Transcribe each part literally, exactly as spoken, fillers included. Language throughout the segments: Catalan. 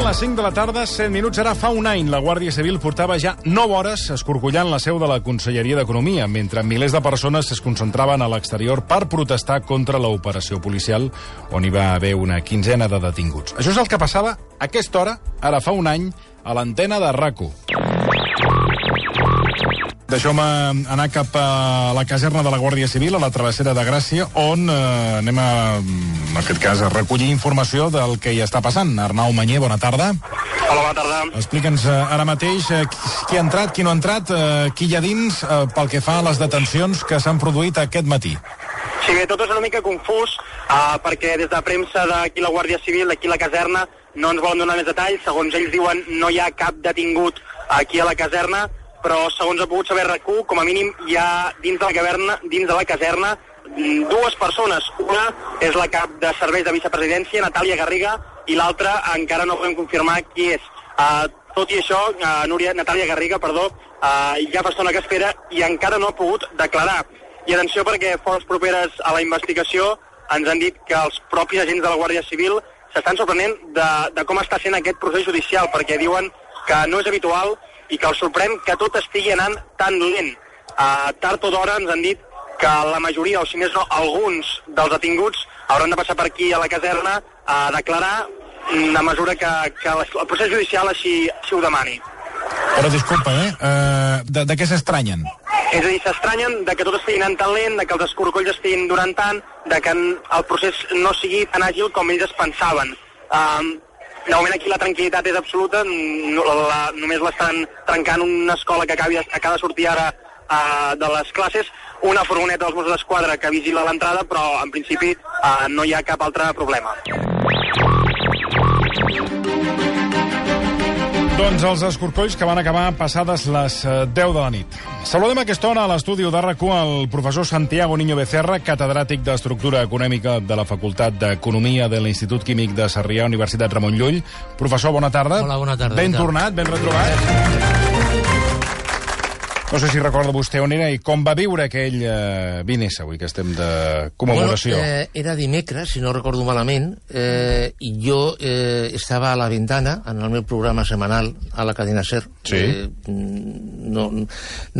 les cinc de la tarda, set minuts. Ara fa un any, la Guàrdia Civil portava ja nou hores escorcollant la seu de la Conselleria d'Economia, mentre milers de persones es concentraven a l'exterior per protestar contra l'operació policial, on hi va haver una quinzena de detinguts. Això és el que passava a aquesta hora, ara fa un any, a l'antena de RAC u. Deixeu-me anar cap a la caserna de la Guàrdia Civil, a la travessera de Gràcia, on eh, anem a, en aquest cas, a recollir informació del que hi està passant. Arnau Mañé, bona tarda. Hola, bona tarda. Explica'ns eh, ara mateix eh, qui ha entrat, qui no ha entrat, eh, qui hi ha dins, eh, pel que fa a les detencions que s'han produït aquest matí. Sí, bé, tot és una mica confús, eh, perquè des de premsa d'aquí la Guàrdia Civil, d'aquí la caserna, no ens volen donar més detalls. Segons ells diuen, no hi ha cap detingut aquí a la caserna, però segons ha pogut saber RAC u, com a mínim hi ha dins de la caverna, dins de la caserna, dues persones. Una és la cap de serveis de vicepresidència, Natàlia Garriga, i l'altra encara no podem confirmar qui és. Uh, tot i això, uh, Núria, Natàlia Garriga, perdó, uh, ja fa estona que espera i encara no ha pogut declarar. I atenció, perquè fonts properes a la investigació ens han dit que els propis agents de la Guàrdia Civil s'estan sorprenent de, de com està sent aquest procés judicial, perquè diuen que no és habitual i que els sorprèn que tot estigui anant tan lent. Uh, tard o d'hora ens han dit que la majoria, o si més no, alguns dels detinguts hauran de passar per aquí a la caserna a declarar a mesura que, que el procés judicial així, així ho demani. Però disculpa, eh? Uh, de, de què s'estranyen? És a dir, s'estranyen de que tot estigui anant tan lent, de que els escorcolls estiguin durant tant, de que el procés no sigui tan àgil com ells es pensaven. Uh, De moment aquí la tranquil·litat és absoluta, no, la, només l'estan trencant una escola que acabi, acaba de sortir ara uh, de les classes, una furgoneta dels Mossos d'Esquadra que vigila l'entrada, però en principi uh, no hi ha cap altre problema. Doncs els escorcolls que van acabar passades les deu de la nit. Saludem a aquesta hora a l'estudi de RAC u el professor Santiago Niño Becerra, catedràtic d'Estructura Econòmica de la Facultat d'Economia de l'Institut Químic de Sarrià, Universitat Ramon Llull. Professor, bona tarda. Hola, bona tarda. Ben tornat, ben retrobat. No sé si recorda vostè on era i com va viure aquell eh, vint esse, avui que estem de commemoració. Bueno, eh, era dimecres, si no recordo malament, eh, i jo eh, estava a la ventana, en el meu programa setmanal, a la cadena SER. Sí. Eh, no,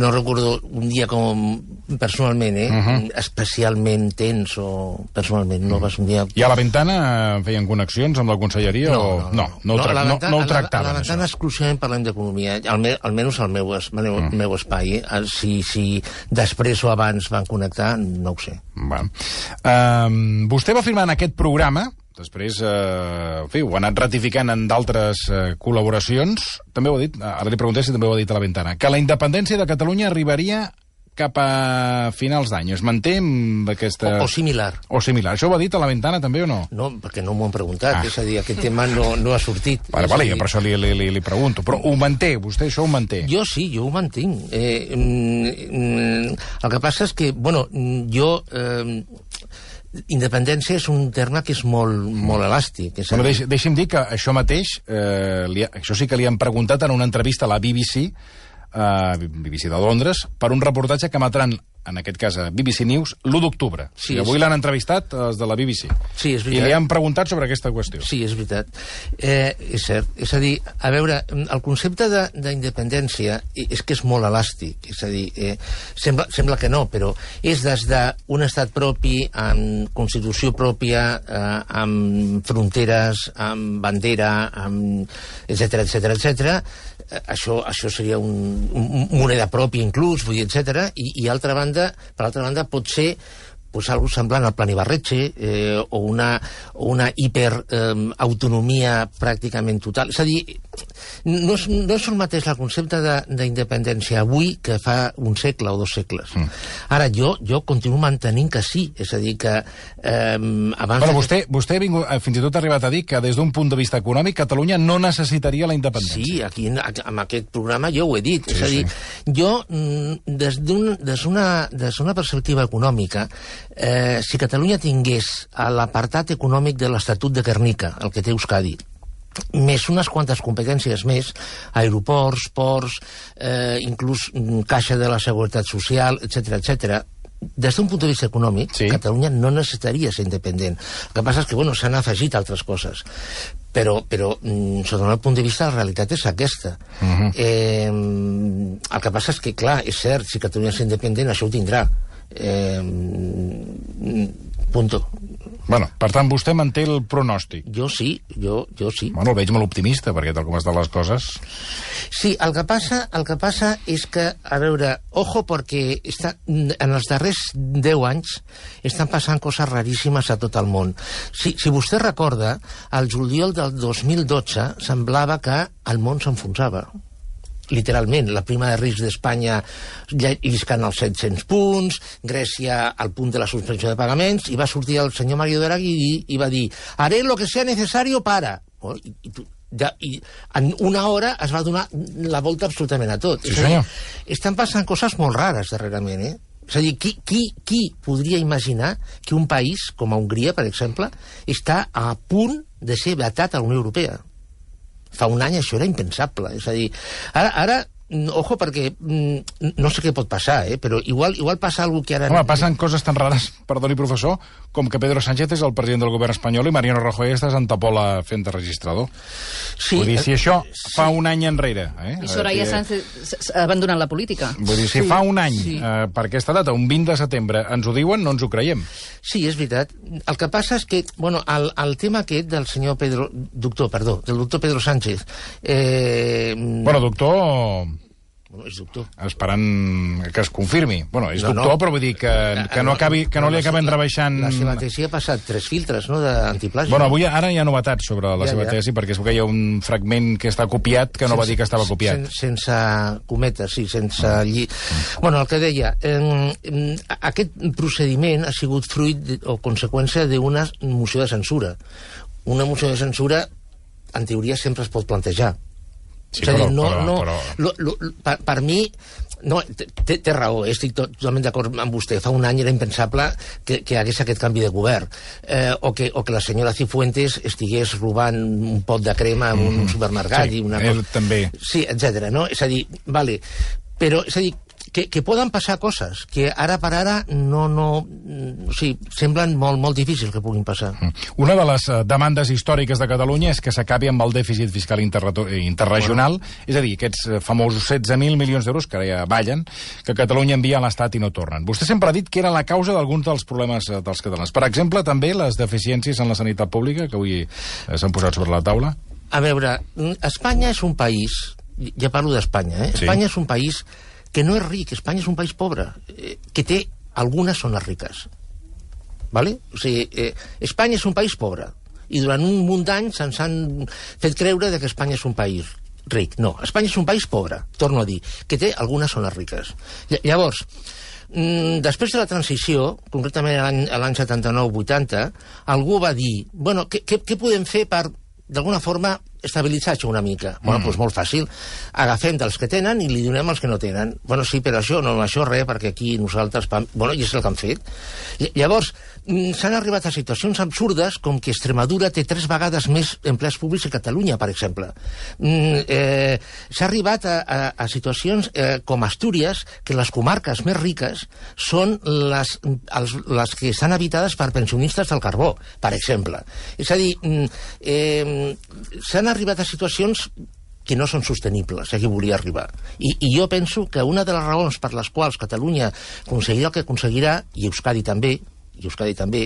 no recordo un dia com personalment, eh, uh-huh. especialment tens o personalment, no vas un dia... I a la ventana feien connexions amb la conselleria no, o... No, no, no, no, no, no, no, no ho tractaven, a la ventana això. exclusivament parlem d'economia, Alme, almenys al meu, al meu, mm. meu espai. Si, si després o abans van connectar, no ho sé. Va. Um, vostè va firmar en aquest programa, després uh, en fi, ho ha anat ratificant en d'altres uh, col·laboracions, també ho ha dit, ara li pregunté si també ho ha dit a la ventana, que la independència de Catalunya arribaria cap a finals d'any. Es manté amb aquesta... O, o similar. O similar. Això ho ha dit a la ventana també o no? No, perquè no m'ho han preguntat. Ah. És a dir, aquest tema no, no ha sortit. Vale, vale, dir... per això li, li, li, li pregunto. Però ho manté, vostè això ho manté? Jo sí, jo ho mantinc. Eh, mm, el que passa és que, bueno, jo... Eh, independència és un terme que és molt, molt elàstic. És bueno, deix, deixi'm dir que això mateix, eh, li, això sí que li han preguntat en una entrevista a la B B C, Uh, B B C de Londres, per un reportatge que emetran, en aquest cas a B B C News, l'u d'octubre. Sí, I avui l'han entrevistat els de la B B C. Sí, és veritat. I li han preguntat sobre aquesta qüestió. Sí, és veritat. Eh, és cert. És a dir, a veure, el concepte d'independència és que és molt elàstic. És a dir, eh, sembla, sembla que no, però és des d'un estat propi, amb constitució pròpia, eh, amb fronteres, amb bandera, amb etcètera, etcètera, etcètera. Això, això seria un, un moneda pròpia inclús, vull dir, etcètera. I, i altra banda, per altra banda, pot ser pues, algo semblant al Plan Ibarretxe eh, o una, o una hiperautonomia eh, pràcticament total. És a dir, no és, no és el mateix el concepte d'independència avui que fa un segle o dos segles. Mm. Ara, jo, jo continuo mantenint que sí, és a dir, que eh, abans... Bueno, vostè, vostè ha vingut, fins i tot ha arribat a dir que des d'un punt de vista econòmic Catalunya no necessitaria la independència. Sí, aquí en aquest programa jo ho he dit. Sí, és a dir, sí. jo, des d'una des des una perspectiva econòmica, eh, si Catalunya tingués l'apartat econòmic de l'Estatut de Guernica, el que té Euskadi, més unes quantes competències més, aeroports, ports, eh, inclús caixa de la Seguretat Social, etcètera, etcètera, des d'un punt de vista econòmic, sí. Catalunya no necessitaria ser independent. El que passa és que, bueno, s'han afegit altres coses. Però, però sota el meu punt de vista, la realitat és aquesta. Uh-huh. eh, el que passa és que, clar, és cert, si Catalunya és independent, això ho tindrà. Eh, punto. Bueno, per tant, vostè manté el pronòstic. Jo sí, jo, jo sí. Bueno, el veig molt optimista, perquè tal com estan les coses... Sí, el que passa, el que passa és que, a veure, ojo, perquè està, en els darrers deu anys estan passant coses raríssimes a tot el món. Si, si vostè recorda, al juliol del dos mil dotze semblava que el món s'enfonsava. Literalment, la prima de risc d'Espanya lliscant als set-cents punts, Grècia al punt de la suspensió de pagaments, i va sortir el senyor Mario Draghi i, i va dir haré lo que sea necesario para... Oh, i, i, ja, i en una hora es va donar la volta absolutament a tot. Sí, senyor. Estan passant coses molt rares darrerament, eh? És a dir, qui, qui, qui podria imaginar que un país, com a Hongria, per exemple, està a punt de ser vetat a la Unió Europea? Fa un any això era impensable. És a dir, ara, ara ojo, perquè mm, no sé què pot passar, eh, però igual, igual passa alguna que ara... Home, passen coses tan rares, perdoni, professor, com que Pedro Sánchez és el president del govern espanyol i Mariano Rajoy està a Santa Pola fent de registrador. Sí, vull dir, si això sí. fa un any enrere... Eh, I Soraya que... Sánchez ha abandonat la política. Vull dir, si sí, fa un any, sí. eh, per aquesta data, un vint de setembre, ens ho diuen, no ens ho creiem. Sí, és veritat. El que passa és que, bueno, el, el tema aquest del senyor Pedro... Doctor, perdó, del doctor Pedro Sánchez... Eh... Bueno, doctor... Bueno, és doctor. Esperant que es confirmi. Bueno, és no, doctor, no. però vull dir que, que no, acabi, que no, no li acaben la, rebaixant... La seva tesi ha passat tres filtres, no?, d'antiplàgia. Bueno, avui ara hi ha novetats sobre la ja, seva ja. tesi, perquè és que hi ha un fragment que està copiat que no sense, va dir que estava copiat. Sen, sense cometes, sí, sense lli... Bueno, el que deia, eh, aquest procediment ha sigut fruit o conseqüència d'una moció de censura. Una moció de censura, en teoria, sempre es pot plantejar. Sí, és a dir, no, però, no, però... Lo, lo, per, per mi no, té, té raó, estic totalment d'acord amb vostè. Fa un any era impensable que, que hagués aquest canvi de govern, eh, o, que, o que la senyora Cifuentes estigués robant un pot de crema en un mm, supermercat sí, i una ell cosa... també. Sí, etcètera, no? És a dir, vale, però és a dir, que, que poden passar coses que ara per ara no, no, o sigui, semblen molt, molt difícils que puguin passar. Una de les demandes històriques de Catalunya és que s'acabi amb el dèficit fiscal interregional, bueno. És a dir, aquests famosos setze mil milions d'euros que ara ja ballen, que Catalunya envia a l'Estat i no tornen. Vostè sempre ha dit que era la causa d'alguns dels problemes dels catalans. Per exemple, també les deficiències en la sanitat pública, que avui s'han posat sobre la taula. A veure, Espanya és un país, ja parlo d'Espanya, eh? Sí. Espanya és un país que no és ric, Espanya és un país pobre, eh, que té algunes zones riques. Vale? O sigui, eh, Espanya és un país pobre, i durant un munt d'anys ens han fet creure que Espanya és un país ric. No, Espanya és un país pobre, torno a dir, que té algunes zones riques. Llavors, mm, després de la transició, concretament a l'any setanta-nou vuitanta, algú va dir, bueno, què, què, què podem fer per, d'alguna forma, estabilitzar això una mica? Mm. Bueno, doncs molt fàcil. Agafem dels que tenen i li donem als que no tenen. Bueno, sí, però això no, això res, perquè aquí nosaltres... Bueno, i és el que han fet. Llavors, s'han arribat a situacions absurdes com que Extremadura té tres vegades més empleats públics que Catalunya, per exemple. Mm, eh, S'ha arribat a, a, a situacions eh, com Astúries, que les comarques més riques són les, els, les que estan habitades per pensionistes del carbó, per exemple. És a dir, eh, s'han arribat a situacions que no són sostenibles, a qui volia arribar. I, I jo penso que una de les raons per les quals Catalunya aconseguirà el que aconseguirà, i Euskadi també, i Euskadi també,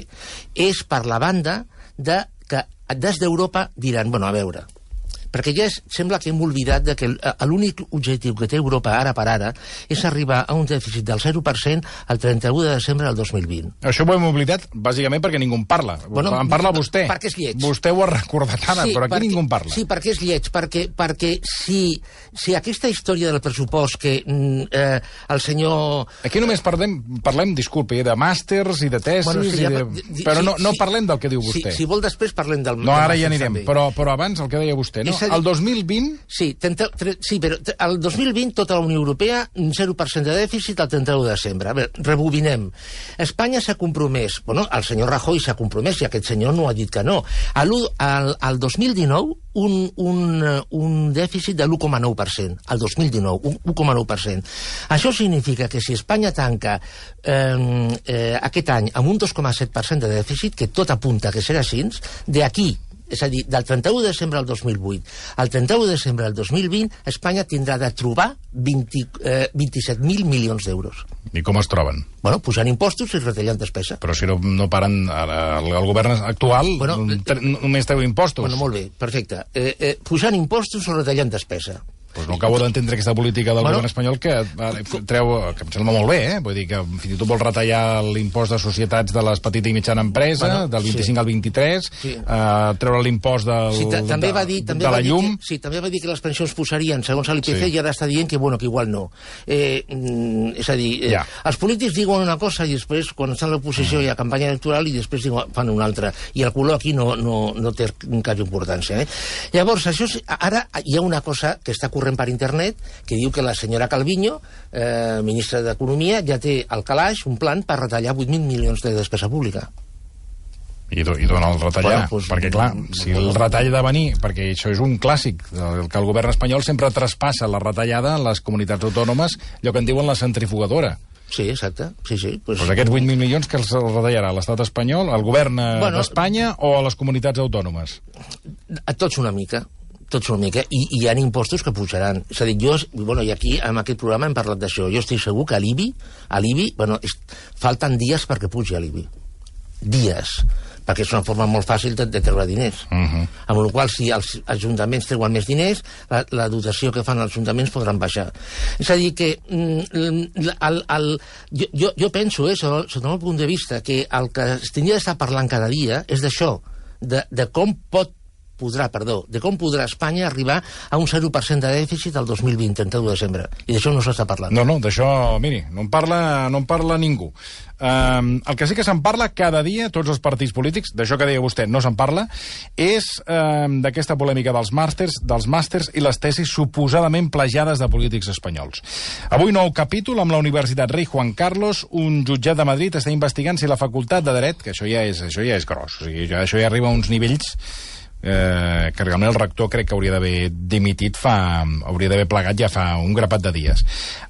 és per la banda de que des d'Europa diran, bueno, a veure, perquè ja és, sembla que hem oblidat de que l'únic objectiu que té Europa ara per ara és arribar a un dèficit del zero per cent al trenta-u de desembre del dos mil vint. Això ho hem oblidat bàsicament perquè ningú en parla. Bueno, en parla vostè. Perquè és lleig. Vostè ho ha recordat ara, sí, però aquí perquè, ningú en parla. Sí, perquè és lleig, perquè, perquè si, si aquesta història del pressupost que eh, el senyor... Aquí només parlem, parlem disculpi, de màsters i de tesis, bueno, sí, ja, i de... però sí, no, no sí, parlem del que diu vostè. Sí, si vol després parlem del... No, ara ja anirem, però, però abans el que deia vostè, no? És a dir, el dos mil vint... Sí, trenta, tre, sí, però el dos mil vint tota la Unió Europea un zero per cent de dèficit al trenta-u de desembre. A veure, rebobinem. Espanya s'ha compromès, bueno, el senyor Rajoy s'ha compromès i aquest senyor no ha dit que no. Al, al, al dos mil dinou un, un, un dèficit de l'u coma nou per cent. Al dos mil dinou, un u coma nou per cent. Això significa que si Espanya tanca eh, eh, aquest any amb un dos coma set per cent de dèficit, que tot apunta que serà així, d'aquí, és a dir, del trenta-u de desembre al dos mil vuit al trenta-u de desembre del dos mil vint, Espanya tindrà de trobar vint, eh, vint-i-set mil milions d'euros. I com es troben? Bueno, pujant impostos i retallant despesa. Però si no, no paren... El, el govern actual bueno, només treu impostos. Bueno, molt bé, perfecte. Eh, eh, pujant impostos o retallant despesa. Pues no acabo d'entendre aquesta política del bueno, govern espanyol que treu, que em sembla molt bé, eh? Vull dir que fins i tot vol retallar l'impost de societats de les petites i mitjana empresa, bueno, del vint-i-cinc sí. al vint-i-tres, sí. uh, treure l'impost del, sí, també de, va dir, també de la va dir llum... Que, sí, també va dir que les pensions posarien segons l'I P C sí. i ara està dient que, bueno, que igual no. Eh, mm, és a dir, eh, ja. els polítics diuen una cosa i després, quan estan a l'oposició, mm. hi ha campanya electoral i després diuen, fan una altra. I el color aquí no, no, no té cap importància. Eh? Llavors, això, ara hi ha una cosa que està corrent per internet que diu que la senyora Calviño, eh, ministra d'Economia, ja té al calaix un plan per retallar vuit mil milions de despesa pública. I, i dona el retallar, bueno, pues, perquè clar, si el retall ha de venir, perquè això és un clàssic, el, que el govern espanyol sempre traspassa la retallada a les comunitats autònomes, allò que en diuen la centrifugadora. Sí, exacte. Sí, sí. Pues, pues aquests vuit mil milions que els retallarà l'estat espanyol, el govern bueno, d'Espanya o a les comunitats autònomes? A tots una mica. tots una mica, i, i hi ha impostos que pujaran. És a dir, jo, bueno, i aquí, en aquest programa hem parlat d'això, jo estic segur que a l'I B I, a l'I B I, bueno, es, falten dies perquè pugi a l'I B I. Dies. Perquè és una forma molt fàcil de, de treure diners. Uh -huh. Amb la qual cosa, si els ajuntaments treuen més diners, la, la dotació que fan els ajuntaments podran baixar. És a dir, que mm, el, el, jo, jo, jo penso, eh, sota, sota el punt de vista, que el que es tindria d'estar parlant cada dia és d'això, de, de com pot podrà, perdó, de com podrà Espanya arribar a un zero per cent de dèficit el dos mil vint, trenta-u de desembre. I d'això no s'està parlant. No, no, d'això, miri, no en parla, no en parla ningú. Um, el que sí que se'n parla cada dia, tots els partits polítics, d'això que deia vostè, no se'n parla, és um, d'aquesta polèmica dels màsters, dels màsters i les tesis suposadament plagiades de polítics espanyols. Avui nou capítol amb la Universitat Rei Juan Carlos, un jutjat de Madrid està investigant si la facultat de dret, que això ja és, això ja és gros, o sigui, això ja arriba a uns nivells Eh, que realment el rector crec que hauria d'haver dimitit fa, hauria d'haver plegat ja fa un grapat de dies.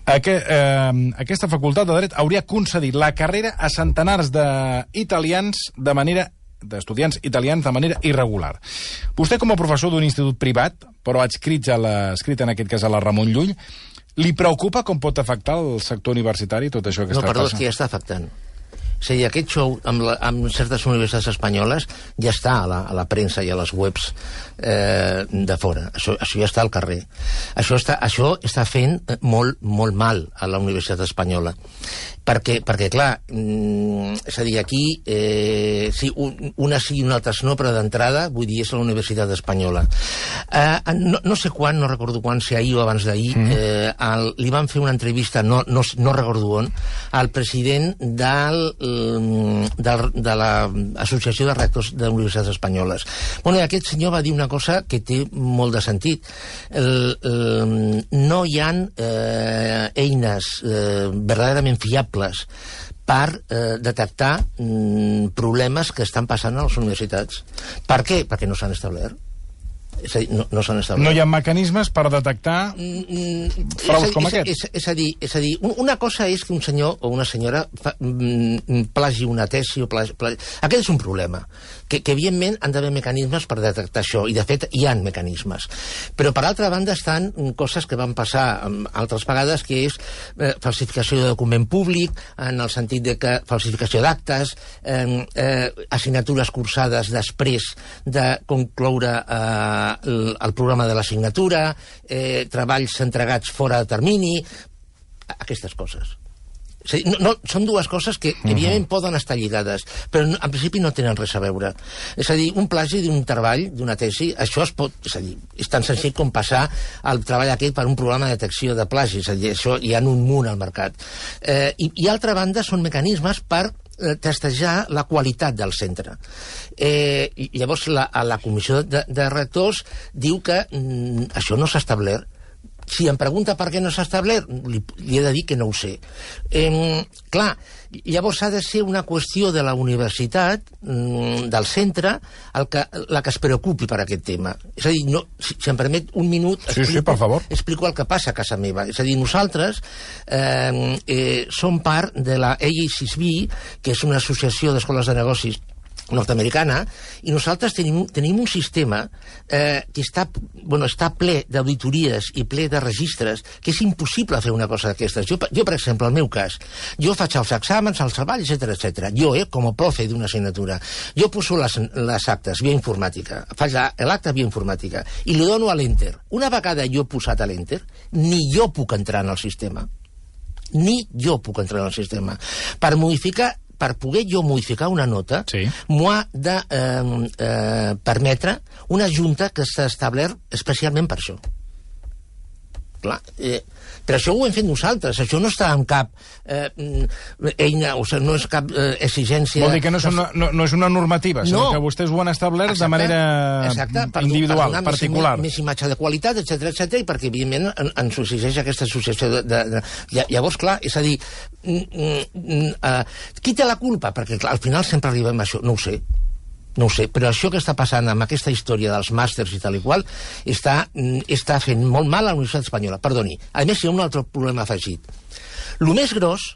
Aqu eh, aquesta facultat de dret hauria concedit la carrera a centenars d'italians de manera d'estudiants italians de manera irregular. Vostè, com a professor d'un institut privat, però adscrit, a la, adscrit en aquest cas a la Ramon Llull, li preocupa com pot afectar el sector universitari tot això que no, està perdó, passant? No, perdó, és que ja està afectant. És a dir, aquest show amb, la, amb certes universitats espanyoles ja està a la, a la premsa i a les webs eh, de fora. Això, això ja està al carrer. Això està, això està fent molt, molt mal a la universitat espanyola. Perquè, perquè clar, mm, és a dir, aquí eh, sí, un, una sí i una altra no, però d'entrada, vull dir, és la universitat espanyola. Eh, no, no sé quan, no recordo quan, si ahir o abans d'ahir, mm. eh, el, li van fer una entrevista, no, no, no recordo on, al president del De, de l'Associació de Rectors de Universitats Espanyoles. Bueno, i aquest senyor va dir una cosa que té molt de sentit. El, el, no hi ha eh, eines eh, verdaderament fiables per eh, detectar mm, problemes que estan passant a les universitats. Per què? Perquè no s'han establert. És a dir, no, no s'han establert. No hi ha mecanismes per detectar mm, fraus com és, aquests? És, és, és a dir, és a dir, una cosa és que un senyor o una senyora fa, mm, plagi una tesi o plagi, plagi... Aquest és un problema, que, que evidentment han d'haver mecanismes per detectar això, i de fet hi ha mecanismes. Però per altra banda estan coses que van passar altres vegades, que és eh, falsificació de document públic, en el sentit de que falsificació d'actes, eh, eh, assignatures cursades després de concloure eh, El, el programa de l'assignatura, eh, treballs entregats fora de termini, aquestes coses. És a dir, no, no, són dues coses que, uh-huh. evidentment, poden estar lligades, però no, en principi no tenen res a veure. És a dir, un plagi d'un treball, d'una tesi, això es pot... És a dir, és tan senzill com passar el treball aquest per un programa de detecció de plagi, és a dir, això hi ha un munt al mercat. Eh, i, I, altra banda, són mecanismes per eh, testejar la qualitat del centre. Eh, llavors, la, la comissió de, de rectors diu que mm, això no s'ha establert. Si em pregunta per què no s'ha establert, li, li he de dir que no ho sé. Eh, clar, llavors ha de ser una qüestió de la universitat, mm, del centre, el que, la que es preocupi per aquest tema. És a dir, no, si, si em permet un minut, sí, explico, sí, per favor. explico el que passa a casa meva. És a dir, nosaltres eh, eh, som part de la A A C S B, que és una associació d'escoles de negocis nord-americana, i nosaltres tenim, tenim un sistema eh, que està, bueno, està ple d'auditories i ple de registres, que és impossible fer una cosa d'aquestes. Jo, jo, per exemple, el meu cas, jo faig els exàmens, els treballs, etcètera, etcètera. Jo, eh, com a profe d'una assignatura, jo poso les, les actes via informàtica, faig l'acte via informàtica, i li dono a l'enter. Una vegada jo he posat a l'enter, ni jo puc entrar en el sistema. Ni jo puc entrar en el sistema. Per modificar per poder jo modificar una nota, sí, m'ho ha de eh, eh, permetre una junta que s'ha establert especialment per això. Clar, eh, per això ho hem fet nosaltres, això no està en cap eh, eina, o sigui, no és cap eh, exigència... Vol dir que no és una, no, no és una normativa, sinó no, que vostès ho han establert exacte, de manera exacte, per, individual, per particular. Més, més imatge de qualitat, etcètera, etcètera, i perquè, evidentment, en, ens exigeix aquesta associació de, de, de... Llavors, clar, és a dir, mm, mm, uh, qui té la culpa? Perquè, clar, al final sempre arribem a això, no ho sé. No ho sé, però això que està passant amb aquesta història dels màsters i tal i qual està, està fent molt mal a la Universitat Espanyola. Perdoni. A més, hi ha un altre problema afegit. El més gros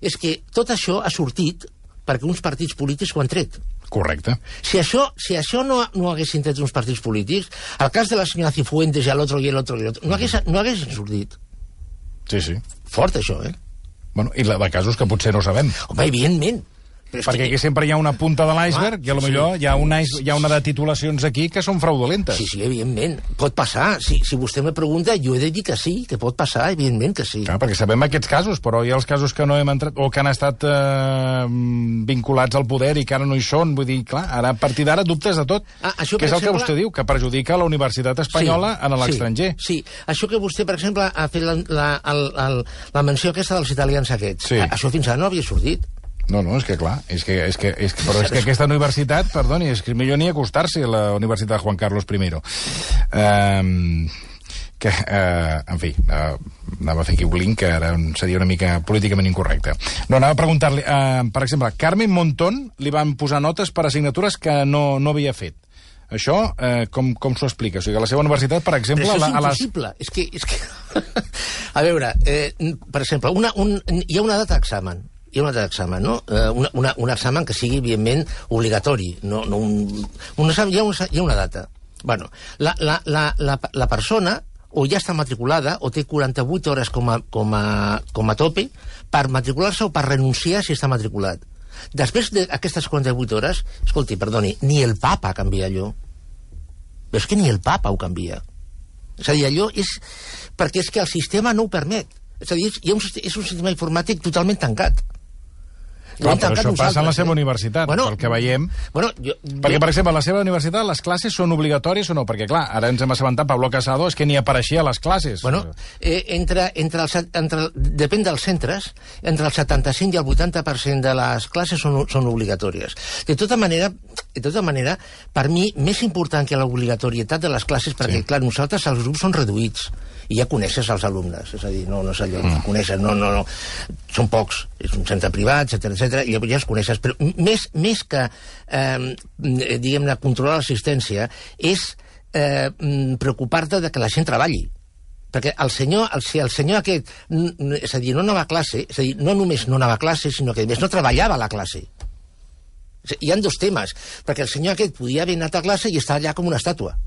és que tot això ha sortit perquè uns partits polítics ho han tret. Correcte. Si això, si això no, no haguessin tret uns partits polítics, el cas de la senyora Cifuentes i l'altre i l'altre i l'altre, no hagués, no haguessin sortit. Sí, sí. Fort, això, eh? Bueno, i la de casos que potser no sabem. Home, evidentment. Perquè aquí sempre hi ha una punta de l'iceberg i potser sí, hi, ha una, hi ha una de titulacions aquí que són fraudulentes. Sí, sí, evidentment. Pot passar. Si, si vostè me pregunta, jo he de dir que sí, que pot passar, evidentment que sí. Clar, perquè sabem aquests casos, però hi ha els casos que no hem entrat o que han estat eh, vinculats al poder i que ara no hi són. Vull dir, clar, ara a partir d'ara dubtes de tot. Ah, això, que és el exemple... que vostè diu, que perjudica la Universitat Espanyola sí, en l'estranger. Sí, sí, això que vostè, per exemple, ha fet la, la, la, la menció aquesta dels italians aquests. Sí. Això fins ara no havia sortit. No, no, és que clar, és que, és que, és que, però és que aquesta universitat, perdoni, és que millor ni acostar-se a la Universitat de Juan Carlos I. Um, que, uh, en fi, uh, anava a fer aquí un link que ara seria una mica políticament incorrecte. No, anava a preguntar-li, uh, per exemple, Carmen Montón li van posar notes per assignatures que no, no havia fet. Això, eh, com, com s'ho explica? O sigui, a la seva universitat, per exemple... Però això és a les... impossible. És que... És que... a veure, eh, per exemple, una, un, hi ha una data d'examen. Hi ha una data d'examen, no? Eh, una, una, un examen que sigui, evidentment, obligatori. No, no un, un examen, hi ha, una, hi ha una data. Bueno, la, la, la, la, la persona o ja està matriculada o té quaranta-vuit hores com a, com a, com a tope per matricular-se o per renunciar si està matriculat. Després d'aquestes quaranta-vuit hores, escolti, perdoni, ni el papa canvia allò. És que ni el papa ho canvia. És a dir, allò és... perquè és que el sistema no ho permet. És a dir, és un, és un sistema informàtic totalment tancat. Clar, però això passa en la seva universitat, bueno, pel que veiem. Bueno, jo, perquè, per exemple, a la seva universitat les classes són obligatòries o no? Perquè, clar, ara ens hem assabentat, Pablo Casado, és que ni apareixia a les classes. Bueno, eh, entre, entre els, entre, depèn dels centres, entre el setanta-cinc i el vuitanta per cent de les classes són, són obligatòries. De tota manera, de tota manera, per mi, més important que l'obligatorietat de les classes, perquè, sí, clar, nosaltres els grups són reduïts, i ja coneixes els alumnes, és a dir, no, no és allò, mm. coneixes, no, no, no, són pocs, és un centre privat, etcètera, etcètera, i ja els coneixes, però més, més que, eh, diguem-ne, controlar l'assistència, és eh, preocupar-te de que la gent treballi. Perquè el senyor, el, si el senyor aquest, és a dir, no anava a classe, és a dir, no només no anava a classe, sinó que a més no treballava a la classe. Hi ha dos temes, perquè el senyor aquest podia haver anat a classe i estar allà com una estàtua.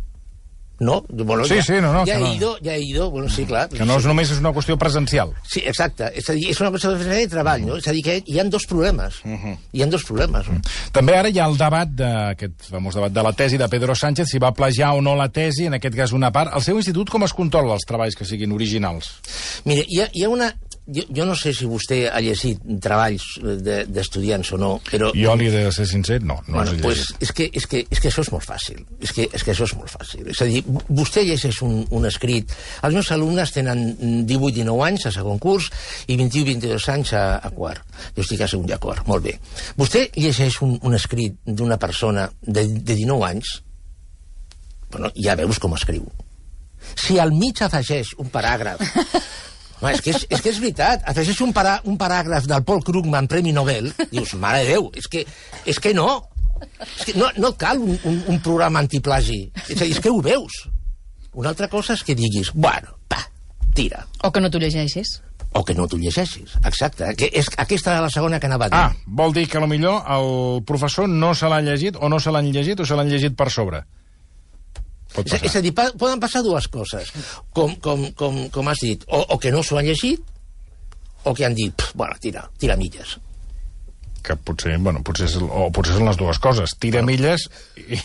No? Bueno, sí, ja, sí, no, no. Ja he no. ido, ja he ido, bueno, sí, clar. Que no és només és una qüestió presencial. Sí, exacte. És a dir, és una qüestió de treball, no? És a dir, que hi ha dos problemes. Uh -huh. Hi ha dos problemes. Uh -huh. També ara hi ha el debat, de, aquest famós debat de la tesi de Pedro Sánchez, si va plagiar o no la tesi, en aquest cas una part. El seu institut com es controla els treballs que siguin originals? Mira, hi ha, hi ha una... jo, jo no sé si vostè ha llegit treballs d'estudiants o no, però... Jo li he de ser sincer, no, no bueno, els he pues, llegit. és, que, és, que, és que això és molt fàcil. És que, és que això és molt fàcil. És a dir, vostè llegeix un, un escrit... Els meus alumnes tenen divuit dinou anys a segon curs i vint-i-u vint-i-dos anys a, a quart. Jo estic a segon i a quart, molt bé. Vostè llegeix un, un escrit d'una persona de, de dinou anys, bueno, ja veus com escriu. Si al mig afegeix un paràgraf... Home, és, que és, és que és veritat, afegeix un, parà, un paràgraf del Paul Krugman, Premi Nobel, dius, mare de Déu, és que, és que no. És que no, no cal un, un, un programa antiplagi. És a dir, és que ho veus. Una altra cosa és que diguis, bueno, pa, tira. O que no t'ho llegeixis. O que no t'ho llegeixis, exacte. Que és, aquesta era la segona que anava a dir. Ah, vol dir que potser el professor no se l'ha llegit, o no se l'han llegit, o se l'han llegit per sobre. Pot És, és a dir, poden passar dues coses, com, com, com, com has dit, o, o que no s'ho han llegit, o que han dit, pff, bueno, tira, tira milles. Que potser, bueno, potser, és, o potser són les dues coses, tira bueno. milles i,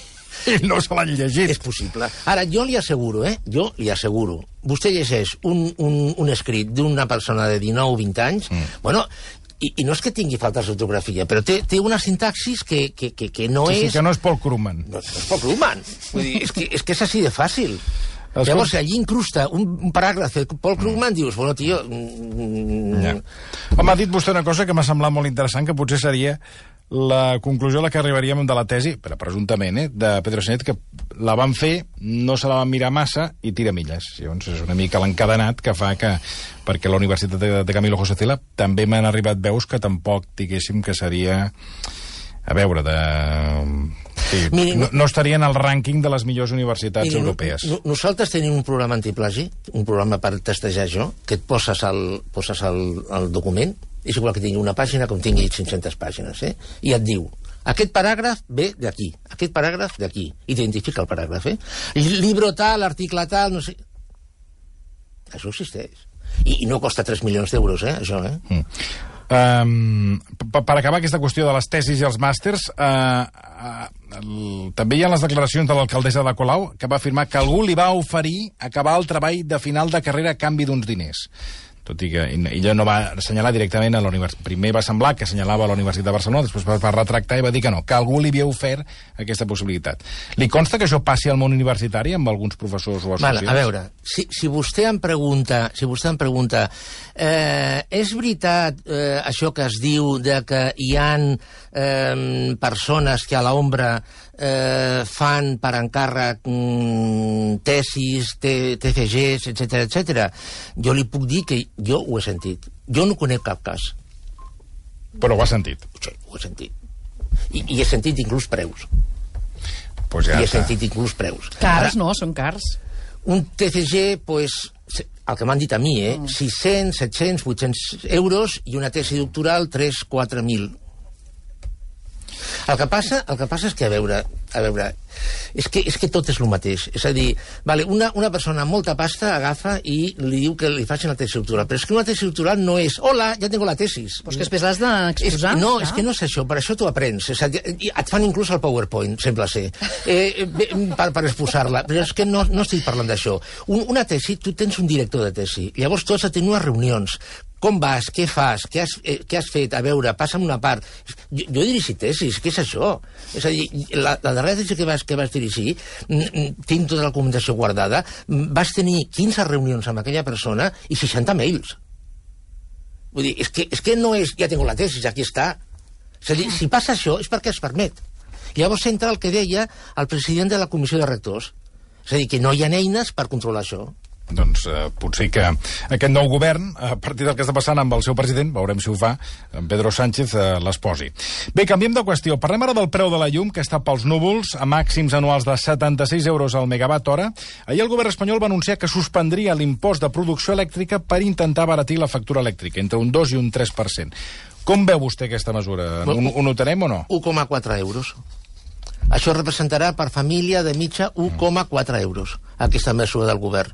i no se l'han llegit. És possible. Ara, jo li asseguro, eh, jo li asseguro, vostè llegeix un, un, un escrit d'una persona de dinou o vint anys, mm. bueno... I, i no és que tingui faltes d'ortografia, però té, té una sintaxis que, que, que, que no sí, és... Sí, que no és Paul Krugman. No, no és Paul Krugman. Vull dir, és, que, és que és així de fàcil. Escolta... Llavors, si allí incrusta un, un paràgraf de Paul Krugman, mm. dius, bueno, tio... Mm... Ja. Home, ha dit vostè una cosa que m'ha semblat molt interessant, que potser seria la conclusió a la que arribaríem de la tesi, però presumptament, eh, de Pedro Sánchez, que la van fer, no se la van mirar massa i tira milles. Llavors és una mica l'encadenat que fa que, perquè a la Universitat de, de Camilo José Cela també m'han arribat veus que tampoc diguéssim que seria, a veure, de... Sí, miri, no, no estaria en el rànquing de les millors universitats miri, europees. No, no, nosaltres tenim un programa antiplagi, un programa per testejar jo, que et poses al, poses al, al document, és igual que tingui una pàgina com tingui cinc-centes pàgines, eh? I et diu, aquest paràgraf ve d'aquí, aquest paràgraf d'aquí. Identifica el paràgraf, eh? Libro tal, article tal, no sé... Això existeix. I, i no costa tres milions d'euros, eh, això, eh? Mm. Um, per acabar aquesta qüestió de les tesis i els màsters, uh, uh, el, també hi ha les declaracions de l'alcaldessa de Colau, que va afirmar que algú li va oferir acabar el treball de final de carrera a canvi d'uns diners. Tot i que ella no va assenyalar directament a la universitat. Primer va semblar que assenyalava a la Universitat de Barcelona, després va retractar i va dir que no, que algú li havia ofert aquesta possibilitat. Li consta que això passi al món universitari amb alguns professors o associats? Vale, a veure, si, si vostè em pregunta, si vostè em pregunta eh, és veritat eh, això que es diu de que hi han eh, persones que a l'ombra eh, fan per encàrrec mm, tesis, T F Gs, etcètera, etcètera, jo li puc dir que jo ho he sentit. Jo no conec cap cas. Però ho ha sentit? Sí, ho he sentit. I, i he sentit inclús preus. Pues ja I he està. sentit inclús preus. Cars, Ara, no, són cars. Un T F G, pues, el que m'han dit a mi, eh? Mm. sis-cents, set-cents, vuit-cents euros i una tesi doctoral tres quatre mil. El que passa, el que passa és que, a veure, a veure, és que, és que tot és el mateix. És a dir, vale, una, una persona amb molta pasta agafa i li diu que li facin la tesi doctoral, però és que una tesi doctoral no és hola, ja tengo la tesis. Però és que després l'has d'exposar. No, no, és que no és això, per això t'ho aprens. És a dir, et fan inclús el PowerPoint, sembla ser, eh, per, per exposar-la. Però és que no, no estic parlant d'això. Un, una tesi, tu tens un director de tesi, llavors tu has de tenir unes reunions. Com vas? Què fas? Què has, eh, què has fet? A veure, passa'm una part. Jo, jo he dirigit tesis, què és això? És a dir, la, la darrera tesi que vas, que vas dirigir, tinc tota la documentació guardada, vas tenir quinze reunions amb aquella persona i seixanta mails. Vull dir, és que, és que no és, ja tinc la tesis, aquí està. És a dir, si passa això és perquè es permet. Llavors entra el que deia el president de la comissió de rectors. És a dir, que no hi ha eines per controlar això. Doncs eh, potser que aquest nou govern, a partir del que està passant amb el seu president, veurem si ho fa, en Pedro Sánchez eh, les posi. Bé, canviem de qüestió. Parlem ara del preu de la llum, que està pels núvols, a màxims anuals de setanta-sis euros al megawatt hora. Ahir el govern espanyol va anunciar que suspendria l'impost de producció elèctrica per intentar abaratir la factura elèctrica, entre un dos i un tres per cent. Com veu vostè aquesta mesura? Ho, ho notarem o no? un coma quatre euros. Això representarà per família de mitja un coma quatre euros, aquesta mesura del govern.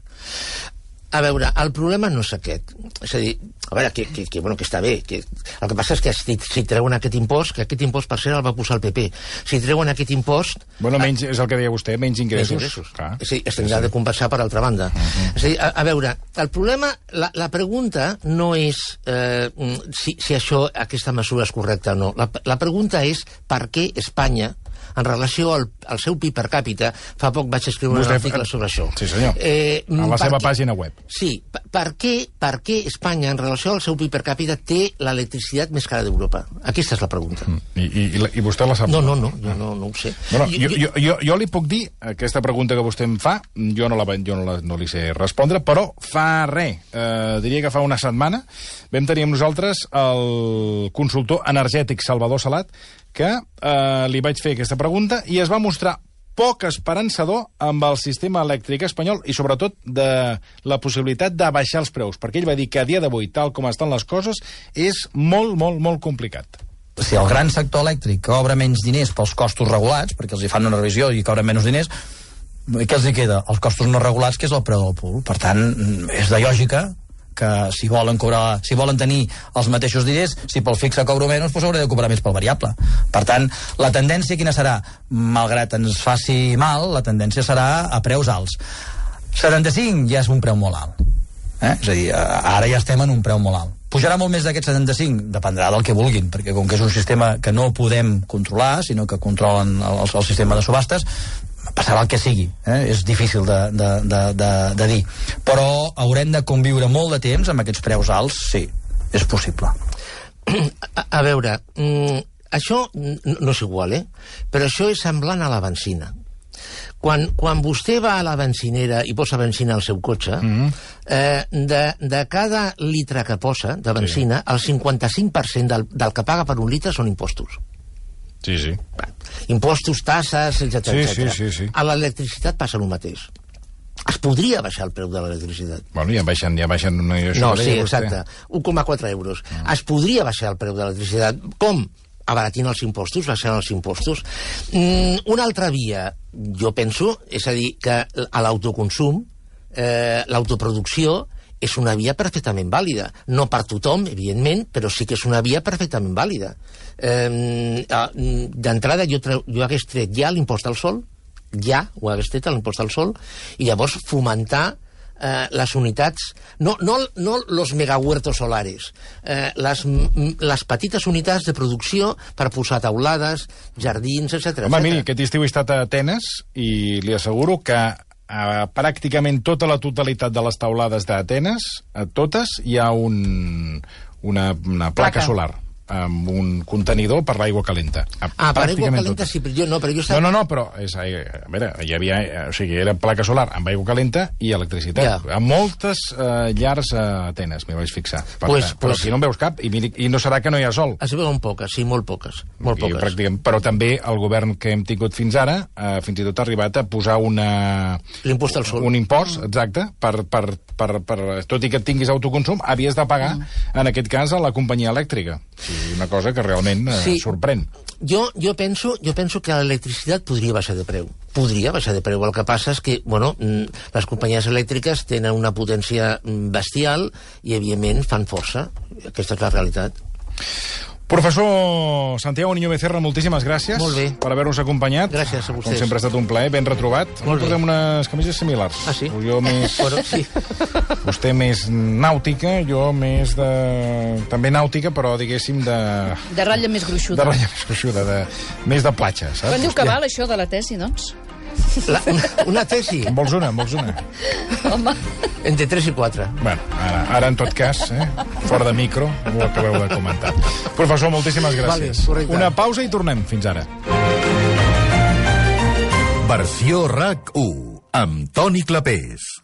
A veure, el problema no és aquest. És a dir, a veure, que, que, que, bueno, que està bé. Que... El que passa és que si, si treuen aquest impost, que aquest impost, per cert, el va posar el P P. Si treuen aquest impost... Bueno, menys, és el que deia vostè, menys ingressos. Menys ingressos. Clar. És a dir, es tindrà de compensar per altra banda. Uh -huh. És a dir, a, a veure, el problema, la, la pregunta no és eh, si, si això, aquesta mesura és correcta o no. La, la pregunta és per què Espanya, en relació al, al seu P I B per càpita, fa poc vaig escriure Vostè, un article sobre això. Sí, senyor. Eh, a la seva què, pàgina web. Sí. Per, per, què, per què Espanya, en relació al seu P I B per càpita, té l'electricitat més cara d'Europa? Aquesta és la pregunta. Mm. I, i, I vostè la sap? No, no, no, jo no, no ho sé. Bueno, jo, jo, jo, jo li puc dir, aquesta pregunta que vostè em fa, jo no, la, jo no, la, no li sé respondre, però fa res, eh, diria que fa una setmana, vam tenir amb nosaltres el consultor energètic Salvador Salat, que eh, li vaig fer aquesta pregunta i es va mostrar poc esperançador amb el sistema elèctric espanyol i, sobretot, de la possibilitat de baixar els preus, perquè ell va dir que a dia d'avui, tal com estan les coses, és molt, molt, molt complicat. Si el gran sector elèctric cobra menys diners pels costos regulats, perquè els hi fan una revisió i cobren menys diners, què els hi queda? Els costos no regulats, que és el preu del pool. Per tant, és de lògica que si volen cobrar, si volen tenir els mateixos diners, si pel fixe cobro menys, doncs hauré de cobrar més pel variable. Per tant, la tendència quina serà? Malgrat ens faci mal, la tendència serà a preus alts. setanta-cinc ja és un preu molt alt. Eh? És a dir, ara ja estem en un preu molt alt. Pujarà molt més d'aquest setanta-cinc? Dependrà del que vulguin, perquè com que és un sistema que no podem controlar, sinó que controlen el, el sistema de subhastes, passarà el que sigui, eh? És difícil de, de, de, de, de dir. Però haurem de conviure molt de temps amb aquests preus alts, sí, és possible. A, a veure, mm, això no és igual, eh? Però això és semblant a la benzina. Quan, quan vostè va a la benzinera i posa benzina al seu cotxe, mm-hmm. eh, de, de cada litre que posa de benzina, sí. El cinquanta-cinc per cent del, del que paga per un litre són impostos. Sí, sí. Impostos, tasses, etcètera. Sí, sí, sí, sí. A l'electricitat passa el mateix. Es podria baixar el preu de l'electricitat. Bueno, ja baixen, ja baixen... No, no sí, exacte. un coma quatre euros. Mm. Es podria baixar el preu de l'electricitat. Com? Abaratint els impostos, baixant els impostos. Mm, una altra via, jo penso, és a dir, que a l'autoconsum, eh, l'autoproducció, és una via perfectament vàlida. No per tothom, evidentment, però sí que és una via perfectament vàlida. Eh, D'entrada, jo, jo hagués tret ja l'impost al sol, ja ho hagués tret l'impost al sol, i llavors fomentar eh, les unitats, no, no, no los megahuertos solares, eh, les, les petites unitats de producció per posar taulades, jardins, etcètera. Home, miri, aquest estiu he estat a Atenes i li asseguro que a pràcticament tota la totalitat de les taulades d'Atenes, a totes, hi ha un, una, una placa, placa solar amb un contenidor per l'aigua calenta. Ah, per aigua calenta sí, però jo no, però jo estava... No, no, no, però és, a veure, hi havia, o sigui, era placa solar amb aigua calenta i electricitat. Ja. A moltes eh, llars a Atenes, m'hi vaig fixar. Per pues, tant, però pues... aquí no en veus cap, i, miri, i no serà que no hi ha sol. Es veuen poques, sí, molt poques. Molt I, poques. Però també el govern que hem tingut fins ara, eh, fins i tot ha arribat a posar una... L'impost al sol. Un impost, exacte, per, per, per, per, tot i que tinguis autoconsum, havies de pagar, mm. en aquest cas, a la companyia elèctrica. Sí, una cosa que realment eh, sí. sorprèn. Jo, jo, penso, jo penso que l'electricitat podria baixar de preu. Podria baixar de preu. El que passa és que, bueno, les companyies elèctriques tenen una potència bestial i, evidentment, fan força. Aquesta és la realitat. Professor Santiago Niño Becerra, moltíssimes gràcies per haver-nos acompanyat. Gràcies a vostès. Com sempre ha estat un plaer, ben retrobat. Molt portem unes camises similars. Ah, sí? Jo més... Bueno, sí. Vostè més nàutica, jo més de... també nàutica, però diguéssim de... De ratlla més gruixuda. De ratlla més gruixuda, de... més de platja, saps? Quan diu que val això de la tesi, doncs? La, una, una tesi? En vols una, en vols una? Home... Entre tres i quatre. Bueno, ara, ara en tot cas, eh, fora de micro, ho acabeu de comentar. Professor, moltíssimes gràcies. Vale, una pausa i tornem. Fins ara. Versió RAC u, amb Toni Clapés.